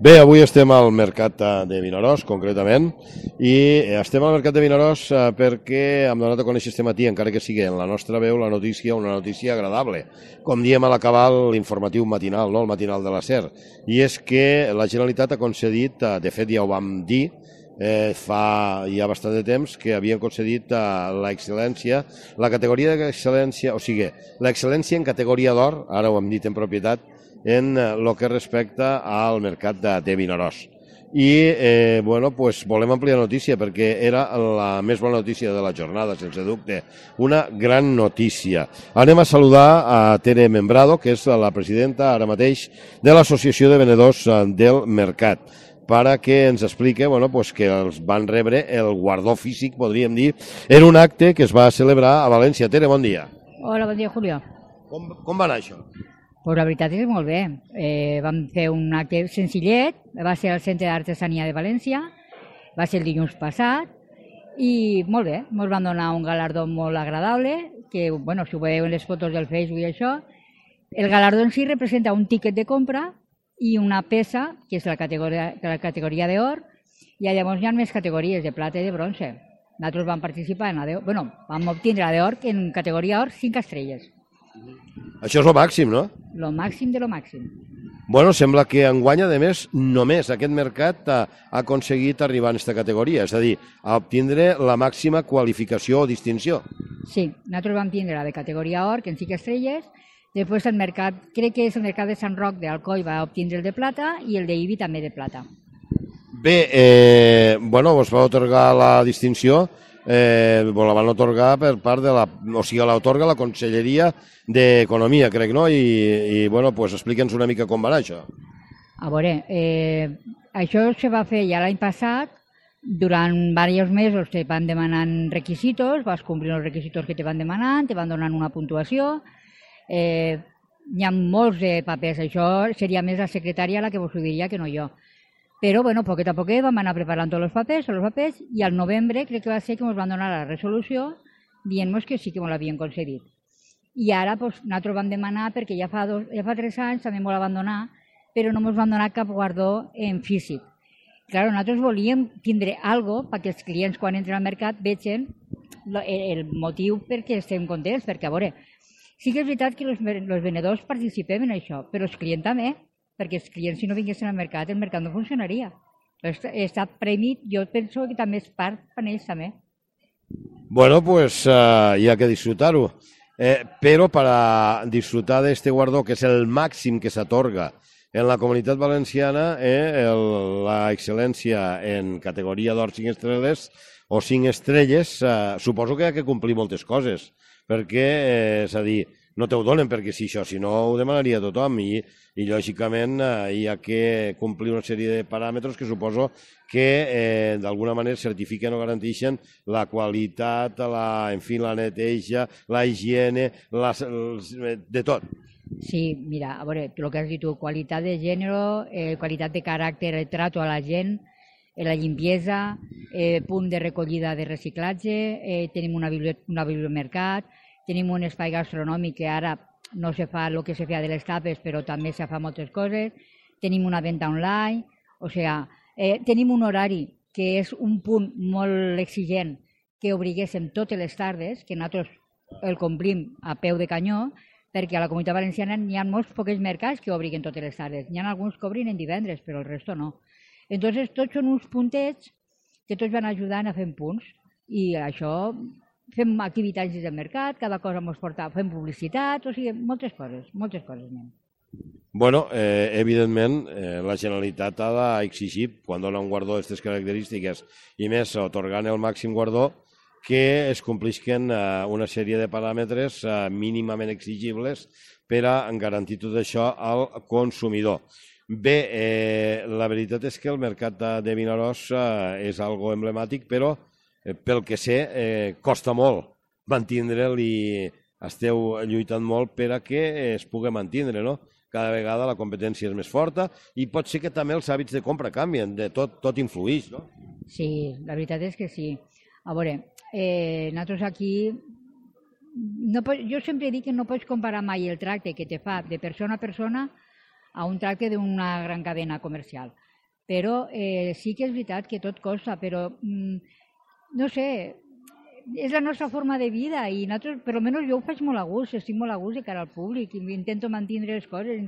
Bé, avui estem al mercat de Vinaròs, concretament, i estem al mercat de Vinaròs perquè hem donat a conèixer este matí, encara que sigui en la nostra veu, la notícia, una notícia agradable. Com diem a l'acabar l'informatiu matinal, no? El matinal de la SER. I és que la Generalitat ha concedit, de fet ja ho vam dir, fa ja bastant de temps, que havien concedit l'excel·lència, la categoria d'excel·lència, o sigui, l'excel·lència en categoria d'or, ara ho hem dit en propietat, en el que respecta al mercat de Vinaròs. I bueno, pues volem ampliar la notícia perquè era la més bona notícia de la jornada, sense dubte. Una gran notícia. Anem a saludar a Tere Membrado, que és la presidenta ara mateix de l'Associació de Venedors del Mercat, para que ens explique bueno, pues que els van rebre el guardó físic, podríem dir, en un acte que es va celebrar a València. Tere, bon dia. Hola, bon dia, Julio. Com va anar això? Pues la veritat és que molt bé. Vam fer un acte senzillet, va ser al Centre d'Artesania de València, va ser el dilluns passat, i molt bé, ens van donar un galardó molt agradable, que, bueno, si ho veieu en les fotos del Facebook i això, el galardó en si representa un tíquet de compra i una peça, que és la categoria d'or, i llavors hi ha més categories de plata i de bronze. Nosaltres vam participar en la d'or, bueno, vam obtindre la d'or, que en categoria or 5 estrelles. Això és el màxim, no? Lo màxim de lo màxim. Bueno, sembla que enguany, a més, només aquest mercat ha aconseguit arribar a aquesta categoria, és a dir, a obtindre la màxima qualificació o distinció. Sí, nosaltres vam tindre la de categoria or, que en 5 estrelles, després el mercat, crec que és el mercat de Sant Roc d'Alcoi, va obtindre el de plata i el d'Ibi també de plata. Bé, bueno, us va otorgar la distinció, la van otorgar per part de la... O sigui, l'otorga la Conselleria d'Economia, crec, no? I bueno, pues explica'ns una mica com va anar això. A veure, això se va fer ja l'any passat, durant diversos mesos te van demanant requisitos, vas complir els requisitos que te van demanant, te van donant una puntuació, hi ha molts de papers, això seria més la secretària la que vos ho diria que no jo. Però, bueno, poquet a poquet vam anar preparant tots els papers, i al novembre crec que va ser que ens van donar la resolució dient-nos que sí que ens l'havien concedit. I ara nosaltres vam demanar, perquè ja fa 3 anys també ens la van donar, però no ens van donar cap guardó en físic. Clar, nosaltres volíem tindre alguna cosa perquè els clients quan entren al mercat vegin el motiu perquè estem contents, perquè a veure, sí que és veritat que els venedors participem en això, però els clients també, perquè els clients si no vinguessin al mercat, el mercat no funcionaria. Està premi, jo penso que també és part per ells també. Bueno, pues hi ha que disfrutar-ho. Però para disfrutar de este guardó, que és el màxim que s'atorga en la Comunitat Valenciana, la excel·lència en categoria d'or 5 estrelles o 5 estrelles, suposo que hi ha que complir moltes coses, perquè, és a dir, no te ho donen perquè sí, això, si no ho demanaria tothom i lògicament hi ha que complir una sèrie de paràmetres que suposo que d'alguna manera certifiquen o garanteixen la qualitat, la neteja, la higiene, de tot. Sí, mira, a veure, el que has dit tu, qualitat de gènere, qualitat de caràcter, el trato a la gent, la limpiesa, punt de recollida de reciclatge, tenim una bibliomercat, tenim un espai gastronòmic que ara no se fa el que se feia de les tapes, però també se fa moltes coses, tenim una venda online, o sigui, tenim un horari que és un punt molt exigent que obriguéssim totes les tardes, que nosaltres el complim a peu de canyó, perquè a la Comunitat Valenciana hi ha molts pocs mercats que obriguen totes les tardes. Hi ha alguns que obrin en divendres, però el resto no. Entonces, tots són uns puntets que tots van ajudant a fer punts. I això, fem activitats des del mercat, cada cosa ens porta, fem publicitat, o sigui, moltes coses. Bueno, evidentment, la Generalitat ha d'exigir, quan dona un guardó d'aquestes característiques, i més atorgant el màxim guardó, que es complisquen una sèrie de paràmetres mínimament exigibles per a garantir tot això al consumidor. Bé, la veritat és que el mercat de Vinaròs és algo emblemàtic, però pel que sé costa molt mantindre'l i esteu lluitant molt per a que es pugui mantindre, no? Cada vegada la competència és més forta i pot ser que també els hàbits de compra canvien, tot influïx, no? Sí, la veritat és que sí. A veure, nosaltres aquí, jo sempre dic que no pots comparar mai el tracte que te fa de persona a persona a un tracte d'una gran cadena comercial. Però sí que és veritat que tot costa, però no sé, és la nostra forma de vida i nosaltres, per almenys jo ho faig molt a gust, estic molt a gust de cara al públic i intento mantenir les coses,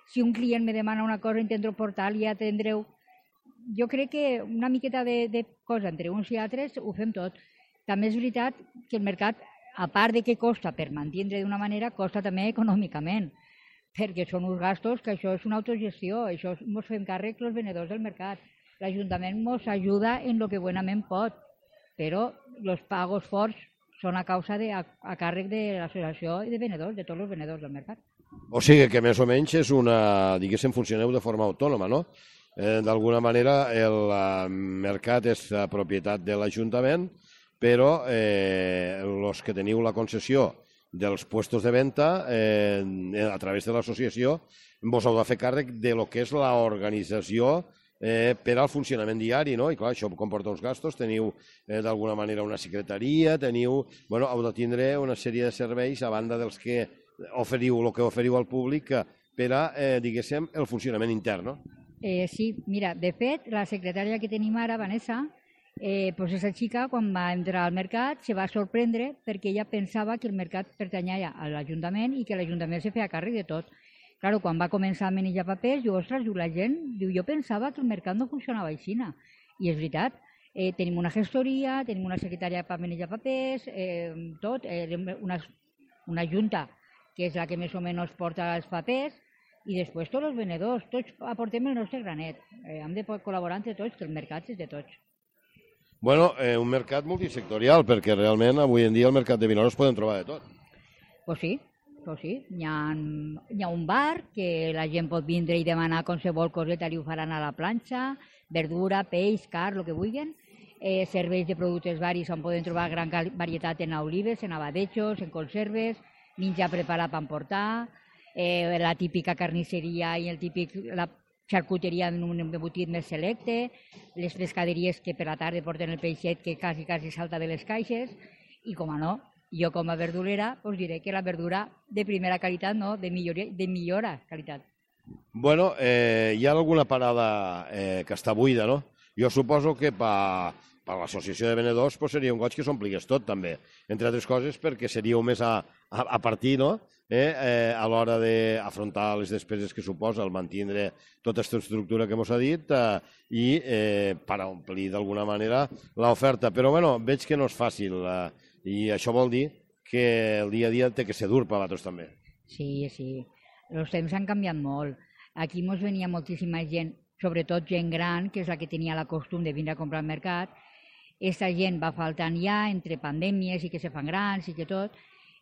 si un client me demana una cosa, intento portar-li i atendre-ho. Jo crec que una miqueta de cosa entre uns i altres ho fem tot. També és veritat que el mercat, a part de que costa per mantenir d'una manera, costa també econòmicament, perquè són uns gastos que això és una autogestió, això ens fem càrrec els venedors del mercat. L'Ajuntament ens ajuda en el que buenament pot, però els pagos forts són a càrrec de l'associació de venedors, de tots els venedors del mercat. O sigui que més o menys és una, diguéssim, funcioneu de forma autònoma, no? D'alguna manera el mercat és propietat de l'Ajuntament, però els que teniu la concessió dels puestos de venda a través de l'associació vos heu de fer càrrec de lo que és l'organització per al funcionament diari, no? I clar, això comporta uns gastos, teniu d'alguna manera una secretaria, heu de tindre una sèrie de serveis a banda dels que oferiu, el que oferiu al públic per a, diguéssim, el funcionament intern, no? Sí, mira, de fet, la secretària que tenim ara, Vanessa, aquesta xica, quan va entrar al mercat, se va sorprendre perquè ella pensava que el mercat pertanyia a l'Ajuntament i que l'Ajuntament se feia càrrec de tot. Claro, quan va començar a manejar papers, diu, ostres, la gent, jo pensava que el mercat no funcionava així. I és veritat, tenim una gestoria, tenim una secretària per manejar papers, tot, una junta que és la que més o menys porta els papers, i després tots els venedors, tots aportem el nostre granet. Hem de col·laborar entre tots, que el mercat és de tots. Bueno, un mercat multisectorial, perquè realment avui en dia al mercat de Vinaròs podem trobar de tot. Pues sí. Hi ha un bar que la gent pot vindre i demanar qualsevol coseta i ho faran a la planxa, verdura, peix, carn, el que vulguin. Serveis de productes varis on poden trobar gran varietat en olives, en abadejos, en conserves, menjar preparat per emportar, la típica carnisseria i la xarcuteria en un embotit més selecte, les pescaderies que per la tarda porten el peixet que quasi salta de les caixes i, com a no, jo com a verdurera us diré que la verdura de primera qualitat, no, de millora qualitat. Bueno, hi ha alguna parada que està buida, no? Jo suposo que per l'associació de venedors seria un goig que s'ompligués tot, també. Entre altres coses, perquè seríeu més a partir, no?, a l'hora d'afrontar les despeses que suposa el mantenir tota aquesta estructura que ens ha dit i per omplir d'alguna manera l'oferta. Però, bueno, veig que no és fàcil i això vol dir que el dia a dia té que ser dur per a vosaltres també. Sí. Els temps han canviat molt. Aquí ens venia moltíssima gent, sobretot gent gran, que és la que tenia la costum de vindre a comprar al mercat. Aquesta gent va faltant ja entre pandèmies i que se fan grans i que tot.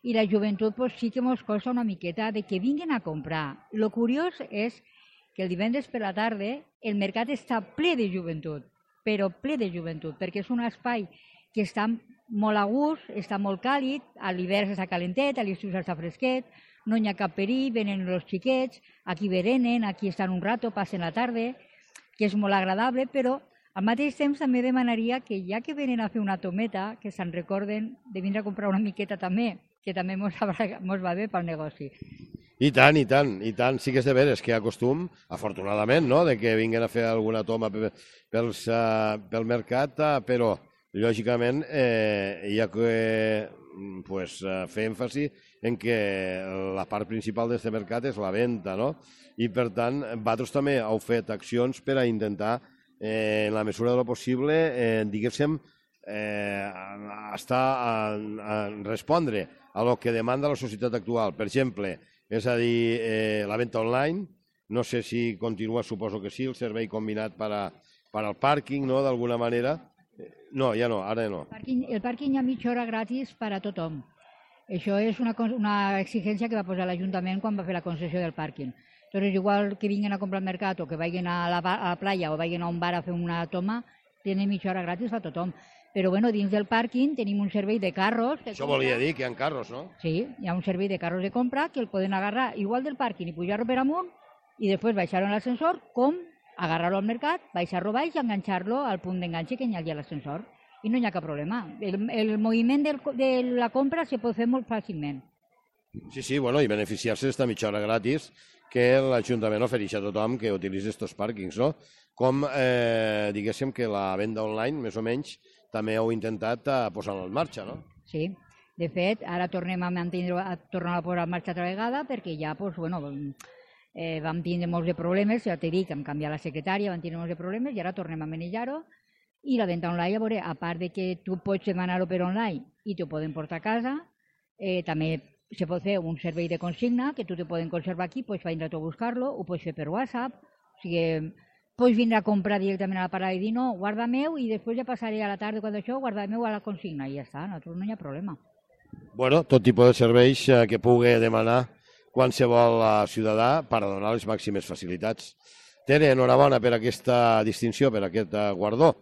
I la joventut sí que ens costa una miqueta de que vinguin a comprar. Lo curiós és que el divendres per la tarda el mercat està ple de joventut, però ple de joventut, perquè és un espai que està molt a gust, està molt càlid, a l'hivern està calentet, a l'estiu està fresquet, no hi ha cap perill, venen els xiquets, aquí berenen, aquí estan un rato, passen la tarda, que és molt agradable, però al mateix temps també demanaria que ja que venen a fer una tometa, que se'n recorden de vindre a comprar una miqueta també, que també mos va bé pel negoci. I tant. Sí que és de veres que hi ha costum, afortunadament, no?, de que vinguin a fer alguna toma pel mercat, però lògicament hi ha que fer èmfasi en que la part principal d'aquest mercat és la venda, no? I per tant, vosaltres també heu fet accions per a intentar, en la mesura de lo possible, diguéssim, respondre a lo que demanda la societat actual. Per exemple, és a dir, la venda online, no sé si continua, suposo que sí, el servei combinat per al pàrquing, no?, d'alguna manera. No, ja no, ara no. El pàrquing hi ha mitja hora gratis per a tothom. Això és una exigència que va posar l'Ajuntament quan va fer la concessió del pàrquing. Entonces, igual que vinguin a comprar al mercat o que vagin a la playa o vagin a un bar a fer una toma, tenen mitja hora gratis a tothom. Però bueno, dins del pàrquing tenim un servei de carros. Això volia dir que hi ha carros, no? Sí, hi ha un servei de carros de compra que el poden agarrar igual del pàrquing i pujar-lo per amunt i després baixar-lo en l'ascensor, com agarrar-lo al mercat, baixar-lo baix i enganxar-lo al punt d'enganxe que hi ha a l'ascensor. I no hi ha cap problema. El moviment de la compra se pot fer molt fàcilment. Sí, bueno, i beneficiar-se d'esta mitja hora gratis, que l'Ajuntament ofereix a tothom que utilitzi aquests pàrquings, no? Com, diguéssim, que la venda online, més o menys, també heu intentat posar-la en marxa, no? Sí. De fet, ara tornem a tornar a posar en marxa altra vegada perquè ja, doncs, bueno, vam tindre molts de problemes, ja t'he dit que hem canviat la secretària, vam tindre molts de problemes i ara tornem a manejar-ho. I la venda online, a veure, a part de que tu pots demanar-ho per online i t'ho poden portar a casa, també se pot fer un servei de consigna que tu te poden conservar aquí, pots vindre tu a buscar-lo, ho pots fer per WhatsApp, o sigui, pots vindre a comprar directament a la parada i dir no, guarda-meu i després ja passaré a la tarda quan això, guarda-meu a la consigna i ja està, nosaltres no hi ha problema. Bueno, tot tipus de serveis que pugui demanar qualsevol ciutadà per a donar les màximes facilitats. Tere, enhorabona per aquesta distinció, per aquest guardó.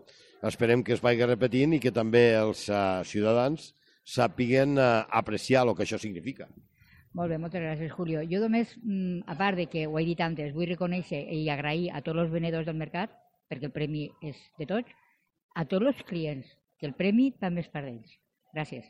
Esperem que es vagi repetint i que també els ciutadans sàpiguen apreciar el que això significa. Molt bé, moltes gràcies, Julio. Jo només, a part de que ho he dit antes, vull reconèixer i agrair a tots els venedors del mercat, perquè el premi és de tots, a tots els clients, que el premi també és per ells. Gràcies.